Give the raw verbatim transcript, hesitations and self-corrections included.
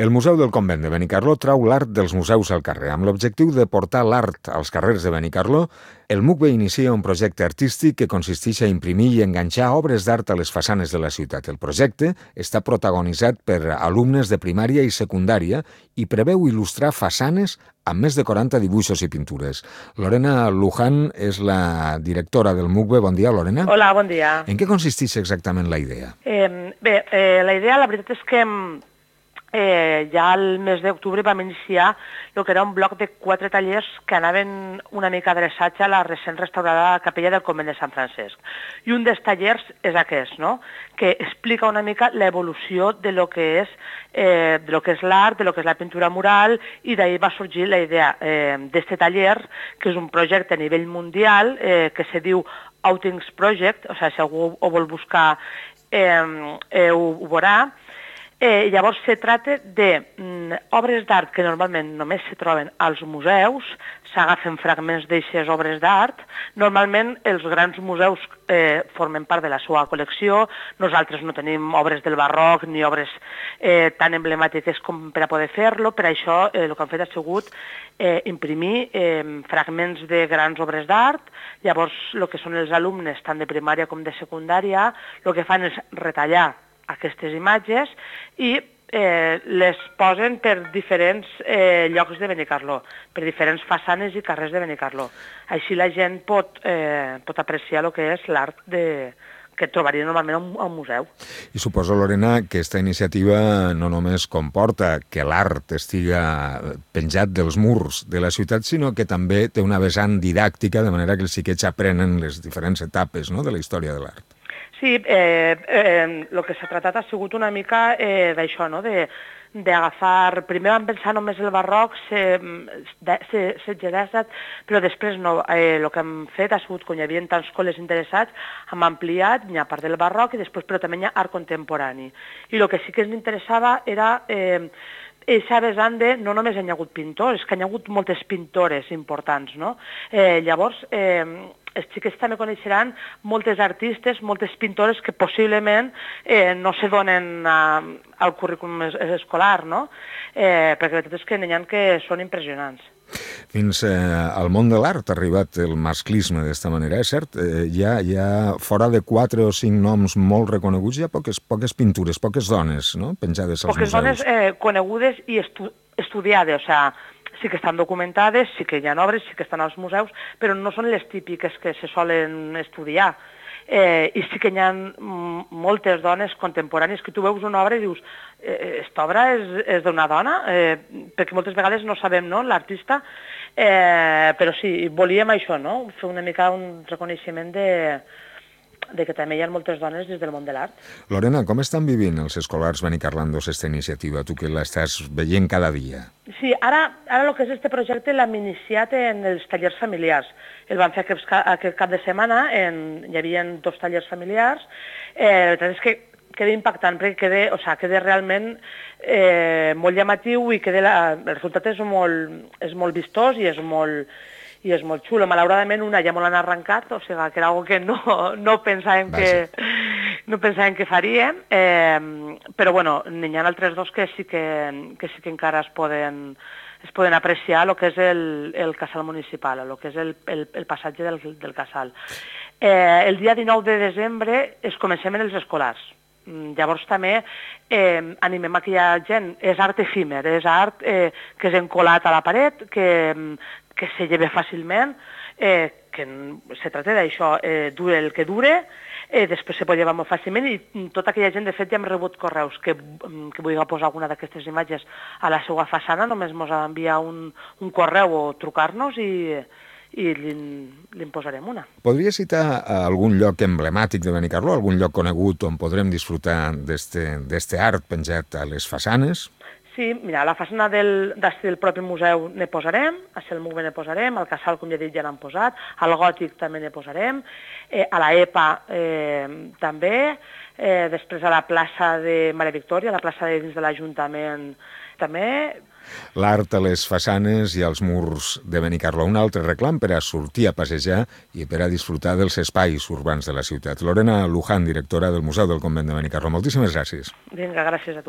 El Museu del Convent de Benicarló trau l'art dels museus al carrer. Amb l'objectiu de portar l'art als carrers de Benicarló, el M U C B inicia un projecte artístic que consisteix a imprimir i enganxar obres d'art a les façanes de la ciutat. El projecte està protagonitzat per alumnes de primària i secundària i preveu il·lustrar façanes amb més de quaranta dibuixos i pintures. Lorena Luján és la directora del M U C B. Bon dia, Lorena. Hola, bon dia. En què consisteix exactament la idea? Eh, bé, eh, la idea, la veritat és que eh, ja al mes d'octubre vam iniciar el que era un bloc de quatre tallers que anaven una mica adreçats a la recent restaurada capella del Convent de Sant Francesc. I un dels tallers és aquest, no?, que explica una mica l'evolució de lo que és eh, de lo que és l'art, de lo que és la pintura mural, i d'ahir va sorgir la idea eh, d'aquest taller, que és un projecte a nivell mundial eh, que se diu Outings Project, o sigui, si algú ho vol buscar eh, eh, ho, ho veurà. Eh, llavors se tracta de mm, obres d'art que normalment només se troben als museus, s'agafen fragments d'aixes obres d'art. Normalment els grans museus eh, formen part de la seva col·lecció, nosaltres no tenim obres del barroc ni obres eh, tan emblemàtiques com per a poder fer-lo, per això eh, el que han fet ha sigut eh, imprimir eh, fragments de grans obres d'art. Llavors el que són els alumnes tant de primària com de secundària el que fan és retallar aquestes imatges i eh, les posen per diferents eh, llocs de Benicarló, per diferents façanes i carrers de Benicarló. Així la gent pot, eh, pot apreciar el que és l'art de, que trobaria normalment a un museu. I suposo, Lorena, que aquesta iniciativa no només comporta que l'art estiga penjat dels murs de la ciutat, sinó que també té una vessant didàctica, de manera que els xiquets aprenen les diferents etapes, no?, de la història de l'art. Sí, eh, eh, el que s'ha tractat ha sigut una mica eh, d'això, no?, de d'agafar... Primer vam pensar només el barroc, setze-disset, però després no. Eh, el que hem fet ha sigut, com hi havia tants col·les interessats, hem ampliat, hi ha part del barroc, i després però també hi ha art contemporani. I el que sí que ens interessava era... Eh, eixa vessant de no només hi ha hagut pintors, que hi ha hagut moltes pintores importants, no? Eh, llavors, eh, els xiquets també coneixeran moltes artistes, moltes pintores que possiblement eh, no se donen a, al currículum escolar, no? Eh, perquè la veritat és que n'hi ha que són impressionants. Fins eh, al món de l'art ha arribat el masclisme d'esta manera, és cert? Eh, hi, ha, hi ha fora de quatre o cinc noms molt reconeguts, hi ha poques, poques pintures, poques dones, no?, penjades als poques museus. Poques dones eh, conegudes i estu estudiades, o sigui, sí que estan documentades, sí que hi ha obres, sí que estan als museus, però no són les típiques que se solen estudiar. Eh, I sí que hi ha moltes dones contemporànies que tu veus una obra i dius aquesta eh, obra és, és d'una dona, eh, perquè moltes vegades no sabem, no?, l'artista, eh, però sí, volíem això, no?, fer una mica un reconeixement de... de que també hi ha moltes dones des del món de l'art. Lorena, com estan vivint els escolars benicarlandos aquesta iniciativa, tu que l'estàs veient cada dia? Sí, ara, ara el que és este projecte l'hem iniciat en els tallers familiars. El vam fer aquest, aquest cap de setmana, en, hi havia dos tallers familiars. Eh, la veritat és que queda impactant, perquè queda, o sigui, queda realment eh, molt llamatiu i queda la, el resultat és molt, és molt vistós i és molt... i és molt xulo. Malauradament una ja molt han arrencat, o sigui que era una cosa que no, no pensàvem que, no pensàvem que faríem, eh, però bueno, n'hi ha altres dos que sí que, que sí que encara es poden, es poden apreciar el que és el, el casal municipal, el que és el, el, el passatge del, del casal. Eh, el dia dinou de desembre es comencem en els escolars. Llavors també eh, animem a que hi ha gent, és art efímer, és art eh, que és encolat a la paret, que, que se lleva fàcilment, eh, que se tracta d'això, eh, dure el que dure, eh, després se pot llevar molt fàcilment i tota aquella gent, de fet, ja hem rebut correus que, que vulgui posar alguna d'aquestes imatges a la seva façana, només ens ha d'enviar un, un correu o trucar-nos i... i li'n posarem una. Podria citar algun lloc emblemàtic de Benicarló, algun lloc conegut on podrem disfrutar d'este art penjat a les façanes? Sí, mira, a la façana del, del propi museu ne posarem, a el M U C B ne posarem, al casal, com ja he dit, ja n'han posat, al gòtic també ne posarem, eh, a la EPA eh, també, eh, després a la plaça de Maria Victòria, a la plaça de dins de l'Ajuntament també. L'art a les façanes i als murs de Benicarló, un altre reclam per a sortir a passejar i per a disfrutar dels espais urbans de la ciutat. Lorena Luján, directora del Museu del Convent de Benicarló, moltíssimes gràcies. Vinga, gràcies a tu.